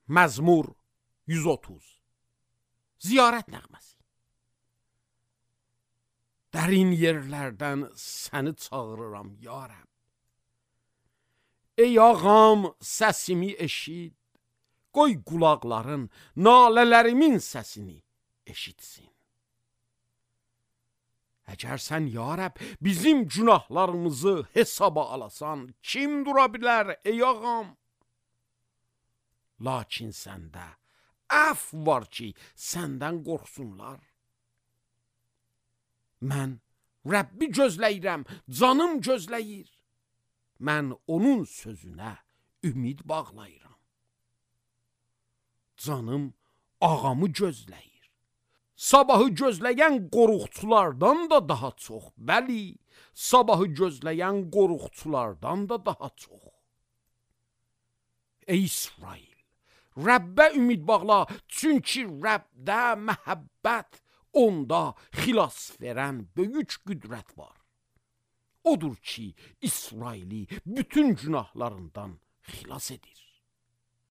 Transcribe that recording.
Məzmur 130. Ziyarət nəğməsi. Dərin yerlərdən səni çağırıram, ya Rəbb. Ey ağam, səsimi eşit, qoy qulaqların nalələrimin səsini eşitsin. Əgər sən, ya Rəbb, bizim günahlarımızı hesaba alasan, kim dura bilər, ey ağam? Lakin səndə əf var ki, səndən qorxsunlar. Mən Rəbbi gözləyirəm, canım gözləyir. Mən onun sözünə ümid bağlayıram. Canım ağamı gözləyir. Sabahı gözləyən qoruqçulardan da daha çox. Bəli, sabahı gözləyən qoruqçulardan da daha çox. Ey İsrail, Rəbbə ümid bağla, çünki Rəbdə məhəbbət, onda xilas verən böyük qüdrət var. Odur ki, İsraili bütün günahlarından xilas edir.